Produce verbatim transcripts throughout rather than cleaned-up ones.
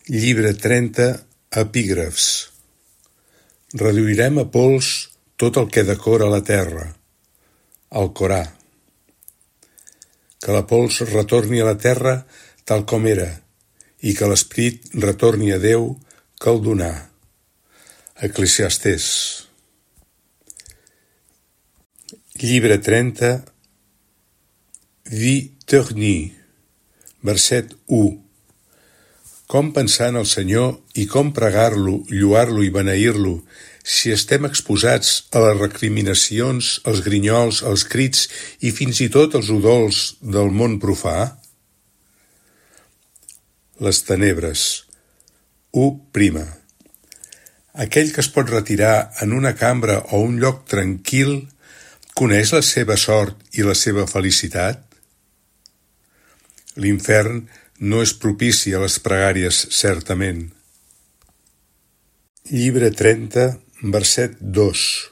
Llibre trenta, epígrafs. Reduirem a pols tot el que decora la terra. Alcorà. Que la pols retorni a la terra tal com era, i que l'esperit retorni a Déu que el donà. Eclesiastés. Llibre trenta, Viterni, verset u. Com pensar en el Senyor i com pregar-lo, lloar-lo i beneir-lo, si estem exposats a les recriminacions, als grinyols, als crits i fins i tot als udols del món profà? Les tenebres. u prima. Aquell que es pot retirar en una cambra o un lloc tranquil coneix la seva sort i la seva felicitat? L'infern no és propici a les pregàries, certament. Llibre trenta, verset dos.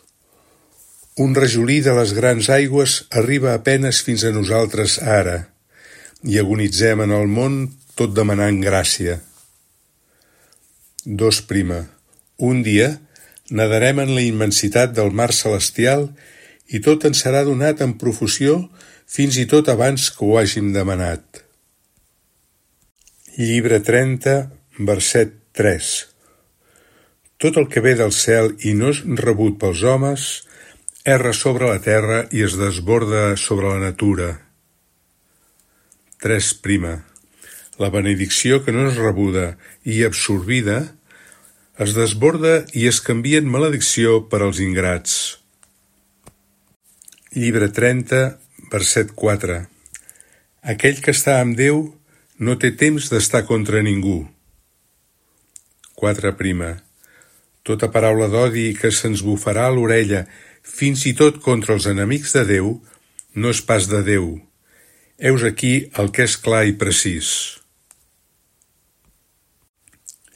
Un rajolí de les grans aigües arriba a penes fins a nosaltres ara, i agonitzem en el món tot demanant gràcia. Dos prima. Un dia nadarem en la immensitat del mar celestial i tot ens serà donat en profusió fins i tot abans que ho hàgim demanat. Llibre trenta, verset tres. Tot el que ve del cel i no és rebut pels homes, erra sobre la terra i es desborda sobre la natura. Tres prima. La benedicció que no és rebuda i absorbida es desborda i es canvia en maledicció per als ingrats. Llibre trenta, verset quatre. Aquell que està amb Déu no té temps d'estar contra ningú. Quatre prima. Tota paraula d'odi que se'ns bufarà a l'orella, fins i tot contra els enemics de Déu, no és pas de Déu. Heus aquí el que és clar i precís.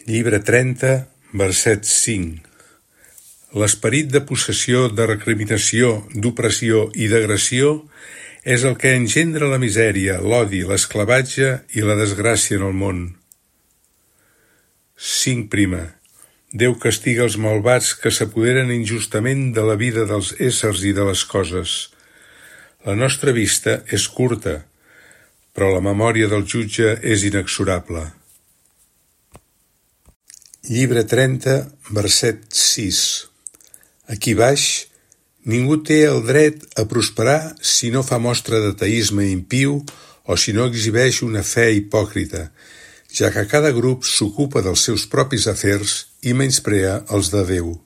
Llibre trenta, verset cinc. L'esperit de possessió, de recriminació, d'opressió i d'agressió és el que engendra la misèria, l'odi, l'esclavatge i la desgràcia en el món. Cinc prima. Déu castiga els malvats que s'apoderen injustament de la vida dels éssers i de les coses. La nostra vista és curta, però la memòria del jutge és inexorable. Llibre trenta, verset sis. Aquí baix, ningú té el dret a prosperar si no fa mostra d'ateisme impiu o si no exhibeix una fe hipòcrita, ja que cada grup s'ocupa dels seus propis afers i menysprea els de Déu.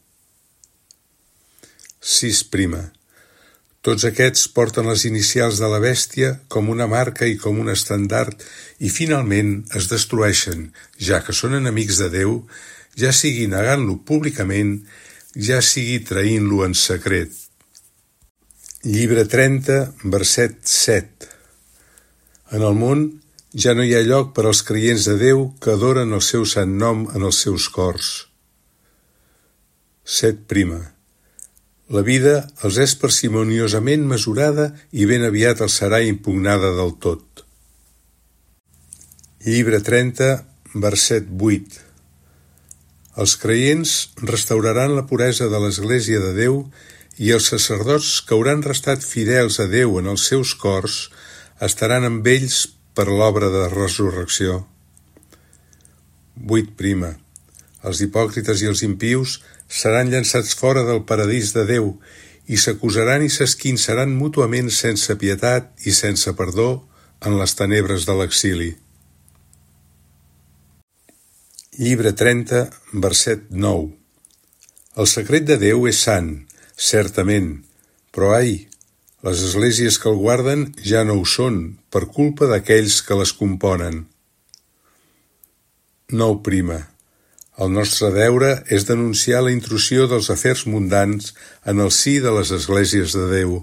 Sis prima. Tots aquests porten les inicials de la bèstia com una marca i com un estendard i finalment es destrueixen, ja que són enemics de Déu, ja sigui negant-lo públicament, ja sigui traint-lo en secret. Llibre trenta, verset set. En el món ja no hi ha lloc per als creients de Déu que adoren el seu sant nom en els seus cors. Set prima. La vida els és parsimoniosament mesurada i ben aviat els serà impugnada del tot. Llibre trenta, verset vuit. Els creients restauraran la puresa de l'Església de Déu i els sacerdots que hauran restat fidels a Déu en els seus cors estaran amb ells per l'obra de resurrecció. Vuit prima. Els hipòcrites i els impius seran llançats fora del paradís de Déu i s'acusaran i s'esquinçaran mútuament sense pietat i sense perdó en les tenebres de l'exili. Llibre trenta, verset nou. El secret de Déu és sant, certament, però ai, les esglésies que el guarden ja no ho són, per culpa d'aquells que les componen. Nou prima. El nostre deure és denunciar la intrusió dels afers mundans en el si de les esglésies de Déu.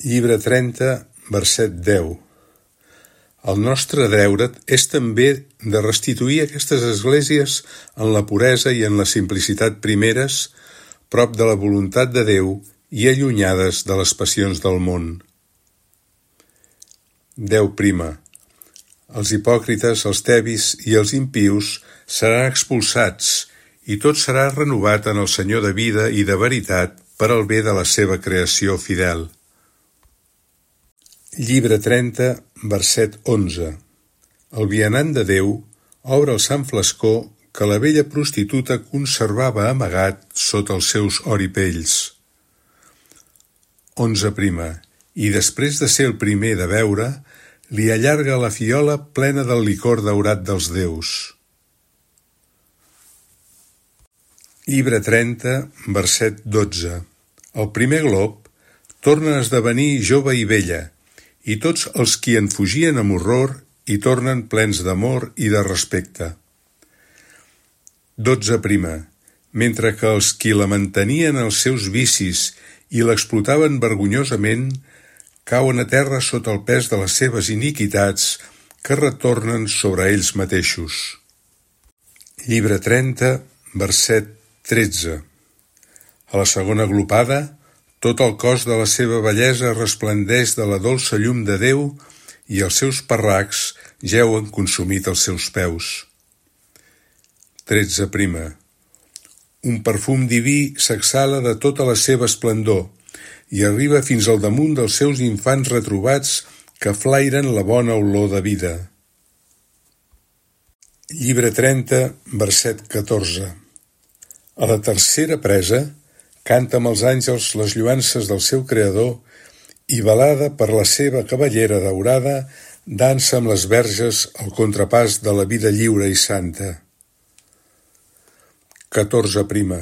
Llibre trenta, verset deu. El nostre deure és també de restituir aquestes esglésies en la puresa i en la simplicitat primeres, prop de la voluntat de Déu i allunyades de les passions del món. Deu prima. Els hipòcrites, els tebis i els impius seran expulsats, i tot serà renovat en el Senyor de vida i de veritat per al bé de la seva creació fidel. Llibre trenta, verset onze. El vianant de Déu obre el sant flascó que la vella prostituta conservava amagat sota els seus oripells. Onze prima. I després de ser el primer de beure, li allarga la fiola plena del licor daurat dels déus. Llibre trenta, verset dotze. El primer glob torna a esdevenir jove i vella, i tots els qui en fugien amb horror hi tornen plens d'amor i de respecte. Dotze prima. Mentre que els qui la mantenien els seus vicis i l'explotaven vergonyosament cauen a terra sota el pes de les seves iniquitats que retornen sobre ells mateixos. Llibre trenta, verset tretze. A la segona glopada, tot el cos de la seva bellesa resplendeix de la dolça llum de Déu i els seus parracs jeuen consumit als seus peus. Tretze prima. Un perfum diví s'exhala de tota la seva esplendor i arriba fins al damunt dels seus infants retrobats que flairen la bona olor de vida. Llibre trenta, verset catorze. A la tercera presa, canta amb els àngels les lluances del seu Creador i velada per la seva cavallera daurada, dansa amb les verges el contrapàs de la vida lliure i santa. Catorze prima.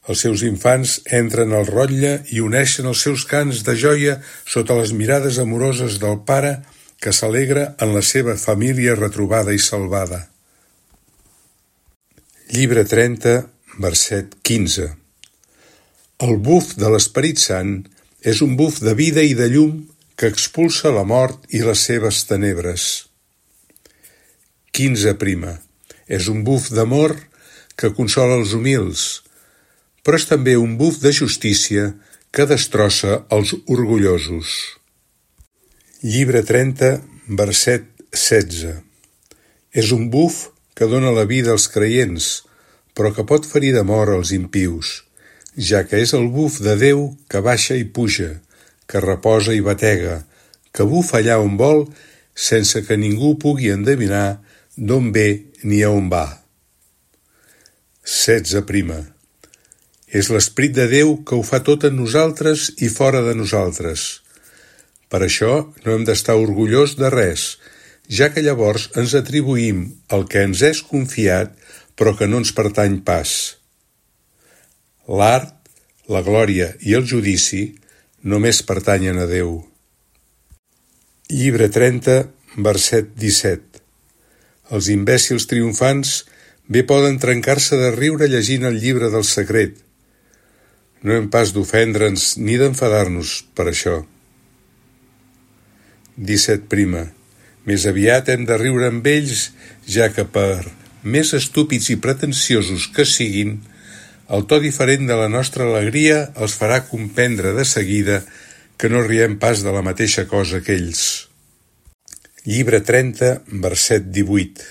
Els seus infants entren al rotlle i uneixen els seus cants de joia sota les mirades amoroses del pare que s'alegra en la seva família retrobada i salvada. Llibre trenta, verset quinze. El buf de l'Esperit Sant és un buf de vida i de llum que expulsa la mort i les seves tenebres. Quinze prima. És un buf d'amor que consola els humils, però és també un buf de justícia que destrossa els orgullosos. Llibre trenta, verset setze. És un buf que dóna la vida als creients, però que pot ferir de mort els impius, ja que és el buf de Déu que baixa i puja, que reposa i batega, que bufa allà on vol, sense que ningú pugui endevinar d'on ve ni a on va. Setze prima. És l'Esperit de Déu que ho fa tot en nosaltres i fora de nosaltres. Per això no hem d'estar orgullós de res, ja que llavors ens atribuïm el que ens és confiat però que no ens pertany pas. L'art, la glòria i el judici només pertanyen a Déu. Llibre trenta, verset disset. Els imbècils triomfants bé poden trencar-se de riure llegint el llibre del secret. No hem pas d'ofendre'ns ni d'enfadar-nos per això. Disset prima. Més aviat hem de riure amb ells, ja que per més estúpids i pretensiosos que siguin, el to diferent de la nostra alegria els farà comprendre de seguida que no riem pas de la mateixa cosa que ells. Llibre trenta, verset divuit.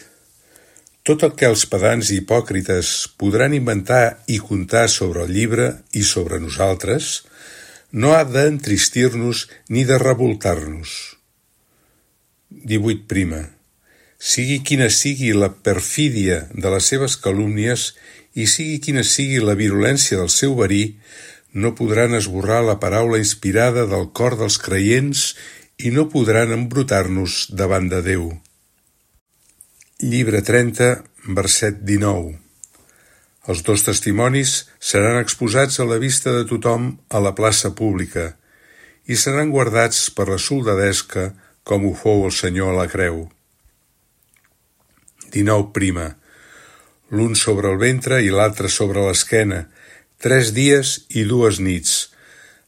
Tot el que els pedants i hipòcrites podran inventar i contar sobre el llibre i sobre nosaltres no ha d'entristir-nos ni de revoltar-nos. Divuit prima. Sigui quina sigui la perfídia de les seves calúmnies i sigui quina sigui la virulència del seu verí, no podran esborrar la paraula inspirada del cor dels creients i no podran embrutar-nos davant de Déu. Llibre trenta, verset dinou. Els dos testimonis seran exposats a la vista de tothom a la plaça pública i seran guardats per la soldadesca com ho fou el Senyor a la creu. Dinou prima. L'un sobre el ventre i l'altre sobre l'esquena, tres dies i dues nits.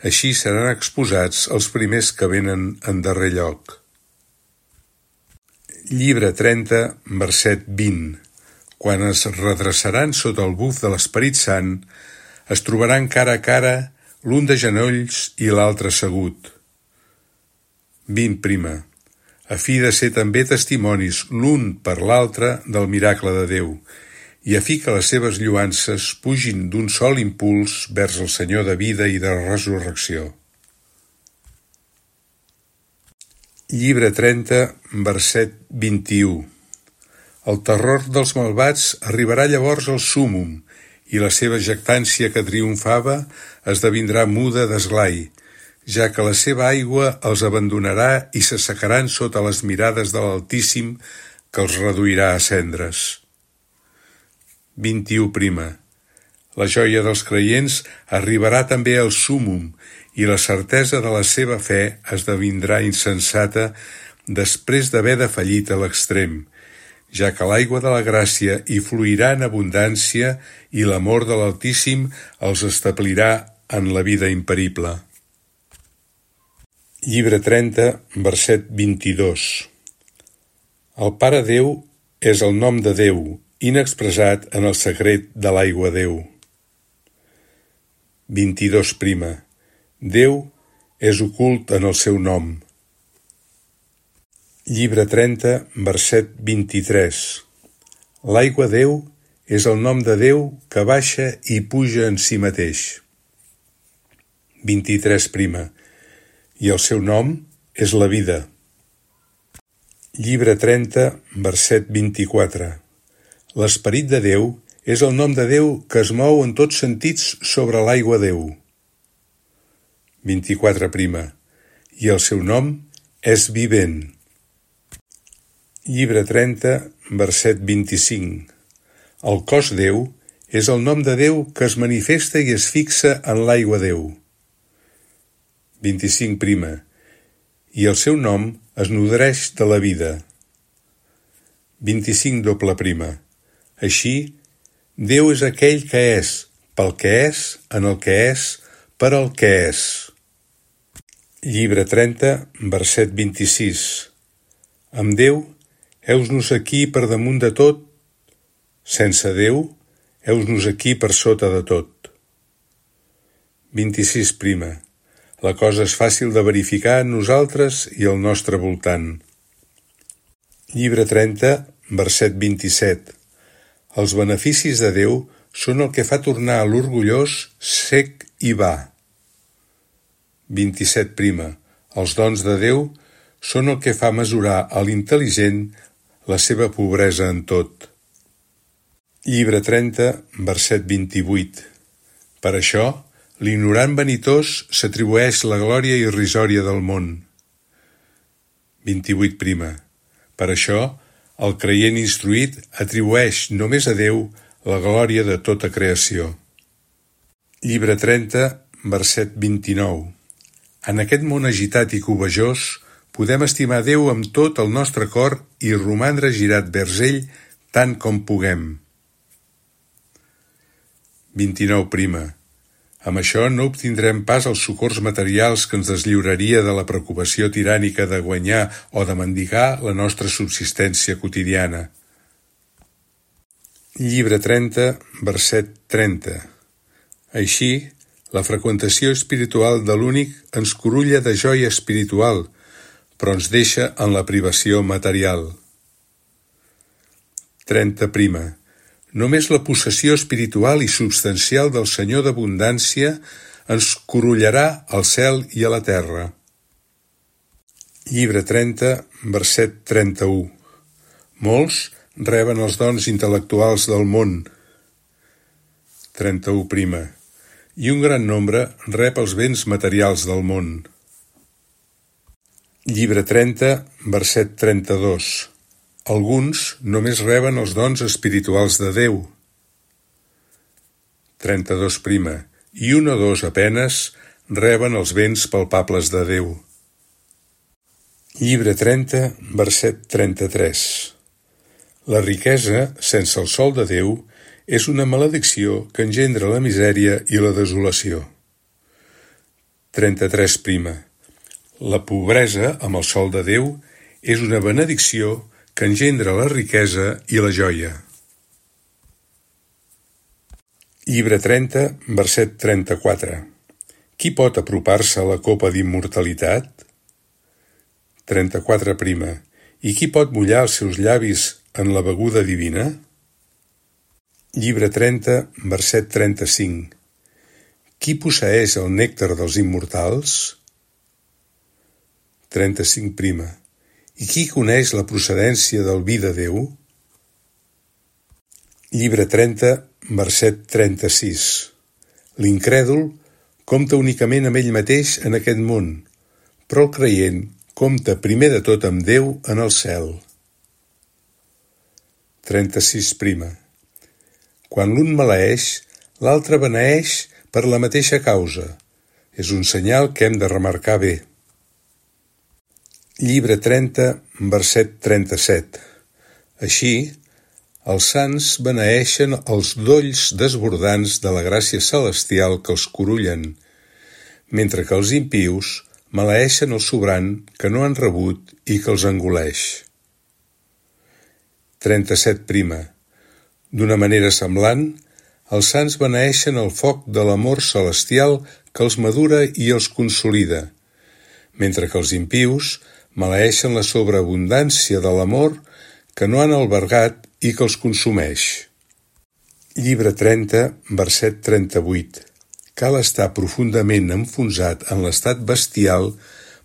Així seran exposats els primers que venen en darrer lloc. Llibre trenta, verset vint. Quan es redreçaran sota el buf de l'Esperit Sant, es trobaran cara a cara, l'un de genolls i l'altre assegut. Vint prima. a fi de ser també testimonis l'un per l'altre del miracle de Déu, i a fi que les seves lluances pugin d'un sol impuls vers el Senyor de vida i de resurrecció. Llibre trenta, verset vint-i-u. El terror dels malvats arribarà llavors al súmum, i la seva jactància que triomfava esdevindrà muda d'esglai, ja que la seva aigua els abandonarà i s'assecaran sota les mirades de l'Altíssim, que els reduirà a cendres. vint-i-u prima. La joia dels creients arribarà també al súmum, i la certesa de la seva fe esdevindrà insensata després d'haver defallit a l'extrem, ja que l'aigua de la gràcia hi fluirà en abundància i l'amor de l'Altíssim els establirà en la vida imperible. Llibre trenta, verset vint-i-dos. El Pare Déu és el nom de Déu, inexpressat en el secret de l'aigua Déu. vint-i-dos prima. Déu és ocult en el seu nom. Llibre trenta, verset vint-i-tres. L'aigua Déu és el nom de Déu que baixa i puja en si mateix. vint-i-tres prima. I el seu nom és la vida. Llibre trenta, verset vint-i-quatre. L'esperit de Déu és el nom de Déu que es mou en tots sentits sobre l'aigua Déu. vint-i-quatre prima. I el seu nom és vivent. Llibre trenta, verset vint-i-cinc. El cos Déu és el nom de Déu que es manifesta i es fixa en l'aigua Déu. vint-i-cinc prima. I el seu nom es nodreix de la vida. vint-i-cinc doble prima. Així, Déu és aquell que és, pel que és, en el que és, per al que és. Llibre trenta, verset vint-i-sis. Amb Déu, heus-nos aquí per damunt de tot. Sense Déu, heus-nos aquí per sota de tot. vint-i-sis prima. La cosa és fàcil de verificar en nosaltres i al nostre voltant. Llibre trenta, verset vint-i-set. Els beneficis de Déu són el que fa tornar a l'orgullós sec i va. vint-i-set prima. Els dons de Déu són el que fa mesurar a l'intel·ligent la seva pobresa en tot. Llibre trenta, verset vint-i-vuit. Per això, l'ignorant vanitós s'atribueix la glòria irrisòria del món. vint-i-vuit prima. Per això, el creient instruït atribueix només a Déu la glòria de tota creació. Llibre trenta, verset vint-i-nou. En aquest món agitat i covejós, podem estimar Déu amb tot el nostre cor i romandre girat vers ell tant com puguem. vint-i-nou prima. Amb això no obtindrem pas els socors materials que ens deslliuraria de la preocupació tirànica de guanyar o de mendigar la nostra subsistència quotidiana. Llibre trenta, verset trenta. Així, la freqüentació espiritual de l'únic ens curulla de joia espiritual, però ens deixa en la privació material. trenta prima. Només la possessió espiritual i substancial del Senyor d'abundància ens curullarà al cel i a la terra. Llibre trenta, verset trenta-u. Molts reben els dons intel·lectuals del món. trenta-u prima. I un gran nombre rep els béns materials del món. Llibre trenta, verset trenta-dos. Alguns només reben els dons espirituals de Déu. trenta-dos prima. I un o dos apenes reben els béns palpables de Déu. Llibre trenta, verset trenta-tres. La riquesa, sense el sol de Déu, és una maledicció que engendra la misèria i la desolació. trenta-tres prima. La pobresa, amb el sol de Déu, és una benedicció que engendra la riquesa i la joia. Llibre trenta, verset trenta-quatre. Qui pot apropar-se a la copa d'immortalitat? trenta-quatre prima. I qui pot mullar els seus llavis en la beguda divina? Llibre trenta, verset trenta-cinc. Qui posseeix el nèctar dels immortals? trenta-cinc prima. I qui coneix la procedència del vi de Déu? Llibre trenta, verset trenta-sis. L'incrèdul compta únicament amb ell mateix en aquest món, però el creient compta primer de tot amb Déu en el cel. trenta-sis prima. Quan l'un maleeix, l'altre beneeix per la mateixa causa. És un senyal que hem de remarcar bé. Llibre trenta, verset trenta-set. Així, els sants beneeixen els dolls desbordants de la gràcia celestial que els corullen, mentre que els impius maleeixen el sobrant que no han rebut i que els engoleix. trenta-set prima. D'una manera semblant, els sants beneeixen el foc de l'amor celestial que els madura i els consolida, mentre que els impius maleeixen la sobreabundància de l'amor que no han albergat i que els consumeix. Llibre trenta, verset trenta-vuit. Cal estar profundament enfonsat en l'estat bestial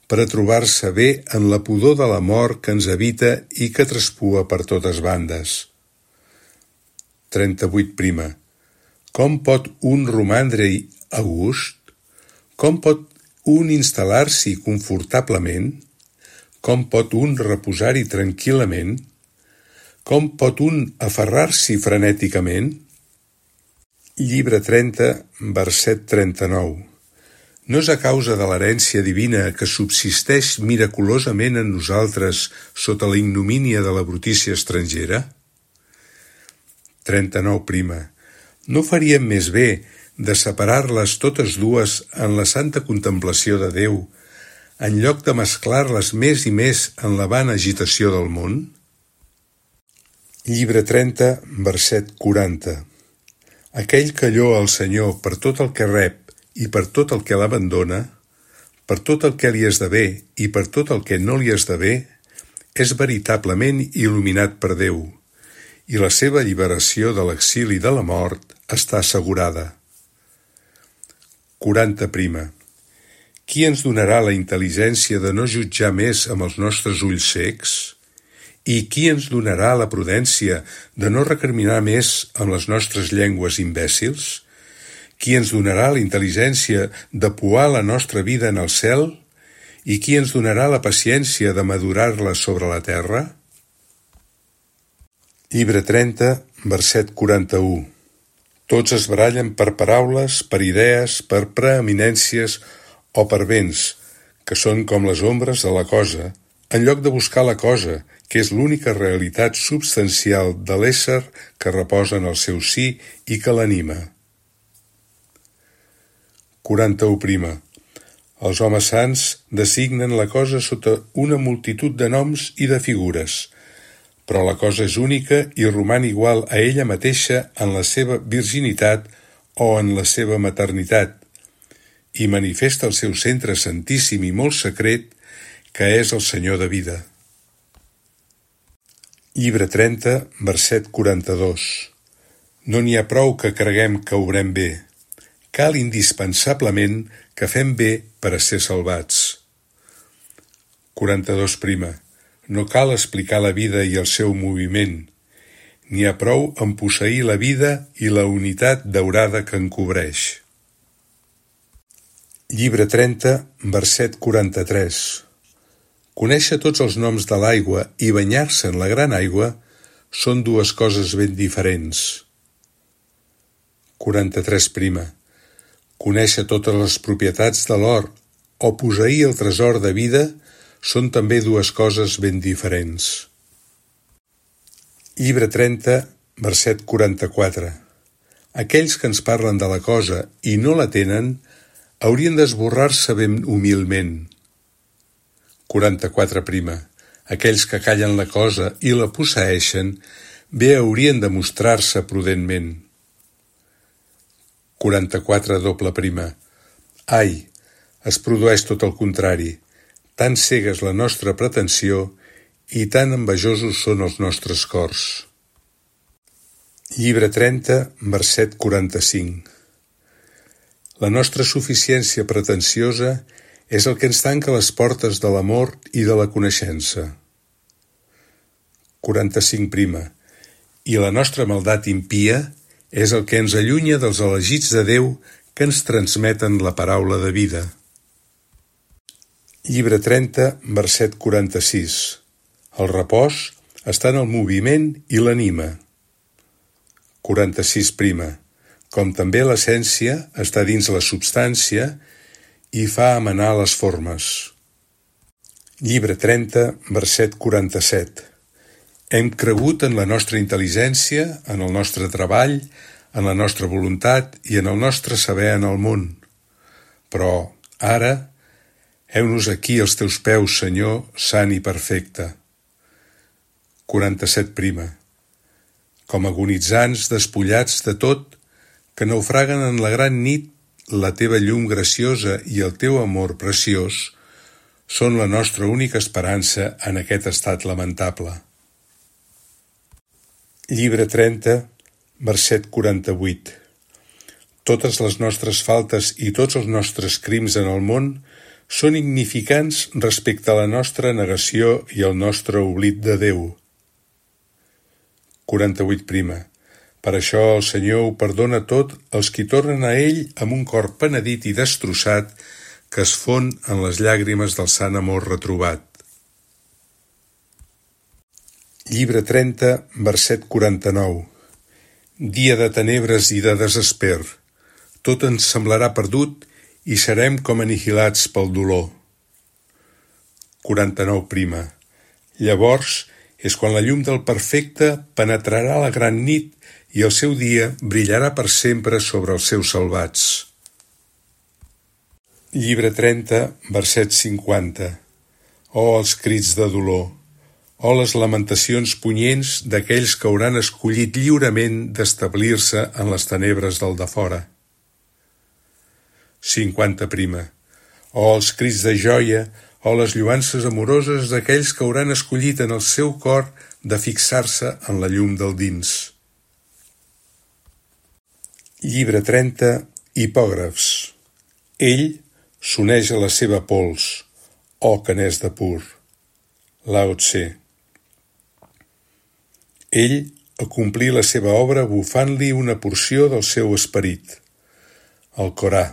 per a trobar-se bé en la pudor de la mort que ens habita i que traspua per totes bandes. trenta-vuit prima. Com pot un romandre-hi a gust? Com pot un instal·lar-s'hi confortablement? Com pot un reposar-hi tranquil·lament? Com pot un aferrar-s'hi frenèticament? Llibre trenta, verset trenta-nou. No és a causa de l'herència divina que subsisteix miraculosament en nosaltres sota la ignomínia de la brutícia estrangera? trenta-nou prima. No faríem més bé de separar-les totes dues en la santa contemplació de Déu, en lloc de mesclar-les més i més en la vana agitació del món? Llibre trenta, verset quaranta. Aquell que lloa el Senyor per tot el que rep i per tot el que l'abandona, per tot el que li esdevé i per tot el que no li esdevé, és veritablement il·luminat per Déu, i la seva alliberació de l'exili de la mort està assegurada. quaranta prima. Qui ens donarà la intel·ligència de no jutjar més amb els nostres ulls cecs? I qui ens donarà la prudència de no recriminar més amb les nostres llengües imbècils? Qui ens donarà la intel·ligència de poar la nostra vida en el cel? I qui ens donarà la paciència de madurar-la sobre la terra? Llibre trenta, verset quaranta-u. Tots es barallen per paraules, per idees, per preeminències o per béns, que són com les ombres de la cosa, en lloc de buscar la cosa, que és l'única realitat substancial de l'ésser que reposa en el seu sí i que l'anima. quaranta-u prima. Els homes sants designen la cosa sota una multitud de noms i de figures, però la cosa és única i roman igual a ella mateixa en la seva virginitat o en la seva maternitat, i manifesta el seu centre santíssim i molt secret, que és el Senyor de vida. Llibre trenta, verset quaranta-dos. No n'hi ha prou que creguem que obrem bé. Cal indispensablement que fem bé per a ser salvats. quaranta-dos prima. No cal explicar la vida i el seu moviment. N'hi ha prou en posseir la vida i la unitat daurada que en cobreix. Llibre trenta, verset quaranta-tres. Conèixer tots els noms de l'aigua i banyar-se en la gran aigua són dues coses ben diferents. quaranta-tres prima. Conèixer totes les propietats de l'or o posseir el tresor de vida són també dues coses ben diferents. Llibre trenta, verset quaranta-quatre. Aquells que ens parlen de la cosa i no la tenen haurien d'esborrar-se ben humilment. quaranta-quatre prima. Aquells que callen la cosa i la posseeixen bé haurien de mostrar-se prudentment. quaranta-quatre doble prima. Ai, es produeix tot el contrari. tan cega és la nostra pretensió i tan envejosos són els nostres cors. Llibre trenta, verset quaranta-cinc. La nostra suficiència pretensiosa és el que ens tanca les portes de l'amor i de la coneixença. quaranta-cinc prima. I la nostra maldat impia és el que ens allunya dels elegits de Déu que ens transmeten la paraula de vida. Llibre trenta, verset quaranta-sis. El repòs està en el moviment i l'anima. quaranta-sis prima. Com també l'essència està dins la substància i fa amenar les formes. Llibre trenta, verset quaranta-set. Hem cregut en la nostra intel·ligència, en el nostre treball, en la nostra voluntat i en el nostre saber en el món. Però, ara, heu-nos aquí als teus peus, Senyor, sant i perfecte. quaranta-set prima. Com agonitzants despullats de tot, que naufraguen en la gran nit, la teva llum graciosa i el teu amor preciós són la nostra única esperança en aquest estat lamentable. Llibre trenta, verset quaranta-vuit. Totes les nostres faltes i tots els nostres crims en el món són insignificants respecte a la nostra negació i el nostre oblit de Déu. quaranta-vuit prima. Per això el Senyor ho perdona tot als qui tornen a ell amb un cor penedit i destrossat que es fon en les llàgrimes del sant amor retrobat. Llibre trenta, verset quaranta-nou. Dia de tenebres i de desesper. Tot ens semblarà perdut i serem com anihilats pel dolor. quaranta-nou prima. Llavors és quan la llum del perfecte penetrarà la gran nit i el seu dia brillarà per sempre sobre els seus salvats. Llibre trenta, verset cinquanta. Oh, els crits de dolor! Oh, les lamentacions punyents d'aquells que hauran escollit lliurement d'establir-se en les tenebres del defora. cinquanta prima. Oh, els crits de joia! Oh, les lloances amoroses d'aquells que hauran escollit en el seu cor de fixar-se en la llum del dins. Llibre trenta, hipògrafs. Ell s'uneix a la seva pols, oh, que n'és de pur. Lao Tse. Ell acomplí la seva obra bufant-li una porció del seu esperit. El Corà.